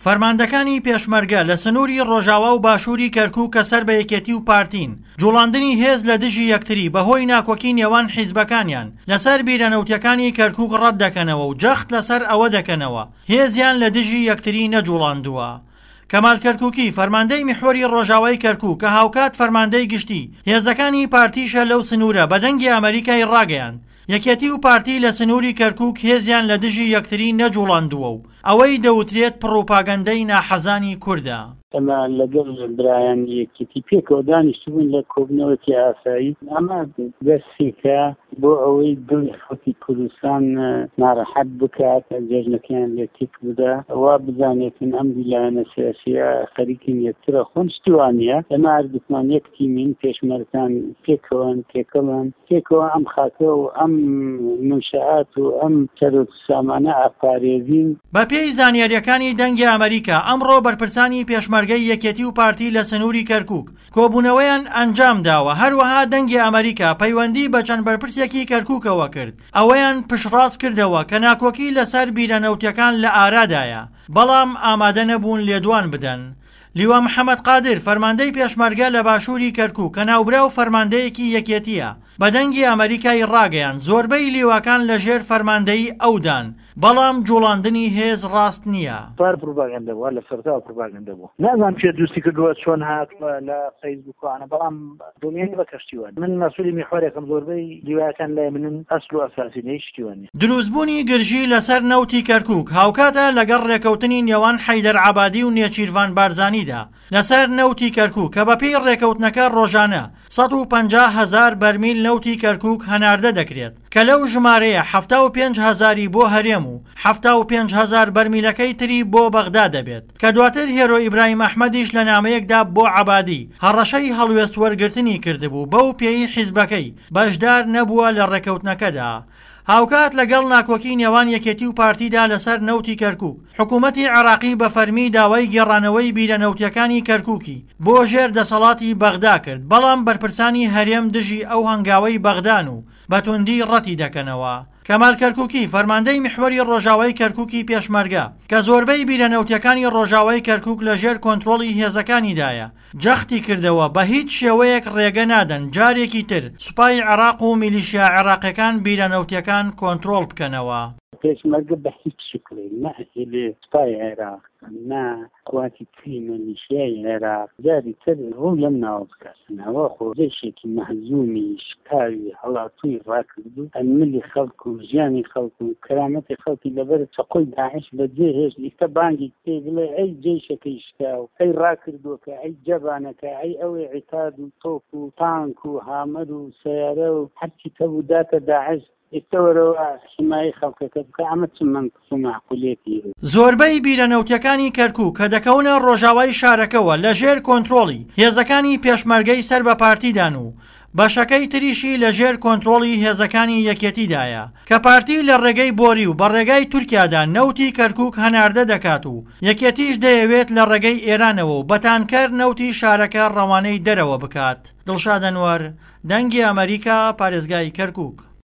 فەرماندەکانی پێشمەرگە لە سنووری ڕۆژاوا و باشووری کەرکووک کە سەر بە یەکێتی و پارتین، جوڵاندنی هێز لە دژی یەکتری بەهۆی ناکۆکی نێوان حیزبەکانیان لەسەر بیرە نەوتیەکانی کەرکووک ڕەت دەکەنەوە و جەخت لەسەر ئەوە دەکەنەوە هێزیان لە دژی یەکتری نەجوڵاندووە. کەمال کەرکووکی، فەرماندەی میحوەری ڕۆژاوای کەرکووک کە هاوکات فەرماندەی گشتی هێزەکانی پارتیشە لەو سنوورە بە دەنگی ئەمەریکای ڕاگەیاند، یەکێتی و پارتی لە سنووری کەرکووک هێزیان لە دژی یەکتری نەجوڵاندووە و ئەوەی دەوترێت پڕوپاگەندەی ناحەزانی کوردە. ئێمە لەگەڵ برایانی یەکێتی پێکەوە دانیشتبووین لە کۆبوونەوەکی ئاسایی، ئەمە دەستێکە بۆ ئەوەی دڵی خەڵکی کوردستان ناڕەحەت بکات، جەژنەکەیان لێ تێک بدا، وا بزانێتن ئەم دوو لایەنە سیاسییە خەریکن یەکتر ئەخۆن، شتی وا نییە، ئێمە هەردووکمان یەک تیمین، پێشمەرگان پێکەوەن، تێکەڵن، پێکەوە ئەم خاکە و ئەم منشئات و ئەم سەرۆت و سامانە ئەپارێزین. بەپێی زانیارییەکانی دەنگی ئەمەریکا، ئەمڕۆ بەرپرسانی پێشمەرگەی یەکێتی و پارتی لە سنووری کەرکووک کۆبوونەوەیان ئەنجامداوە، هەروەها دەنگی ئەمەریکا پەیوەندی بە چەند بەرپرسێکی کەرکووکەوە کرد، ئەوەیان پشتڕاست کردەوە کە ناکۆکی لەسەر بیرە نەوتیەکان لە ئارادایە، بەڵام ئامادە نەبوون لێدوان بدەن. لیوا محەمەد قادر، فەرماندەی پێشمەرگە لە باشووری کەرکووک کە ناوبراو فەرماندەیەکی یەکێتییە، بە دەنگی ئەمەریکای ڕاگەیاند، زۆربەی لیواکان لە ژێر فەرماندەیی ئەودان، بەڵام جوڵاندنی هێز ڕاست نییە. پار پروپاگەندە بووە، لە سەرەتاوە پروپاگەندە بووە. نازانم کێ دروستی کردووە، چۆن هاتووە لە فەیسبووک و ئەوانە، بەڵام دڵنیای بە کەشتی وانیە. من مەسولی میحوەرێکم، زۆربەی لیوایەکان لای منن، ئەسل و ئەساسی نیە، هیچ شتی وا نیە. دروستبوونی گرژی لەسەر نەوتی کەرکوک هاوکاتە لەگەڵ رێکەوتنی نێوان حەیدەر عەبادی و نێچیرڤان بارزانیدا لەسەر نەوتی کەرکوک کە بەپێی رێکەوتنەکە رۆژانە 150 هەزار بەرمیل نەوتی کەرکوک هەناردە دەکرێت کە لەو ژمارەیە 75 هەزاری بۆ هەرێم و 75 هەزار بەرمیلەکەی تری بۆ بەغدا دەبێت کە دواتر هێرۆ ئیبراهیم ئەحمەدیش لە نامەیەکدا بۆ عەبادی هەڕەشەی هەڵوێست وەرگرتنی کردبوو بەو پێی حیزبەکەی بەشدار نەبووە لە ڕێکەوتنەکەدا. هاوکات لەگەڵ ناکۆکی نێوان یەکێتی و پارتیدا لەسەر نەوتی کەرکوک، حکومەتی عێراقی بە فەرمی داوای گێڕانەوەی بیرە نەوتیەکانی کەرکوکی بۆ ژێر دەسەڵاتی بەغدا کرد، بەڵام بەرپرسانی هەرێم دژی ئەو هەنگاوەی بەغدان و بە توندی ڕەتی دەکەنەوە. کەمال کەرکوکی، فەرماندەی میحوەری ڕۆژاوای کەرکوکی پێشمەرگە، کە زۆربەی بیرە نەوتیەکانی ڕۆژاوای کەرکوک لە ژێر کۆنترۆڵی هێزەکانیدایە، جەختی کردەوە، بە هیچ شێوەیەک ڕێگە نادەن جارێکی تر سوپای عێراق و میلیشیا عێراقیەکان بیرە نەوتیەکان کۆنترۆڵ بکەنەوە. پێشمەرگە بە هیچ شکڵێک نە ئەهێلێ سوپای عێراق نە قواتی تری میلیشیای عێراق جاری تر ڕوو لەم ناوە بکاتن. ئەوە خۆ جەیشێکی مەهزومی شکاوی هەڵاتووی ڕاکردوو ملی خەڵک و ژیانی خەڵک و کەرامەتی خەڵکی لەبەر چەقۆی داعش بەجێ هێشت ئیستە بانگی پێی بڵێ ئەی جەیشەکەی شکاو، ئەی ڕاکردووەکە، ئەی جەبانەکە، ئەی ئەوەی عیتاد و تۆپ و تانک و هامەر و سەیارە و هەرچیت هەبوو داتە داعش، ئیستە وەرەوە حیمایەی خەڵکەکە بکە، ئەمە چ مەنتق و مەعقولیەتی هەیە؟ زۆربەی بیرە نەوتیەکانی کەرکوک کە دەکەونە ڕۆژاوای شارەکەوە لە ژێر کۆنترۆڵی هێزەکانی پێشمەرگەی سەر بە پارتیدان و بەشەکەی تریشی لە ژێر کۆنترۆڵی هێزەکانی یەکێتیدایە کە پارتی لە ڕێگەی بۆری و بە ڕێگای تورکیادا نەوتی کەرکوک هەناردە دەکات و یەکێتیش دەیەوێت لە ڕێگەی ئێرانەوە و بە تانکەر نەوتی شارەکە ڕەوانەی دەرەوە بکات. دڵشاد ئەنوەر، دەنگی ئەمەریکا، پارێزگای کەرکوک.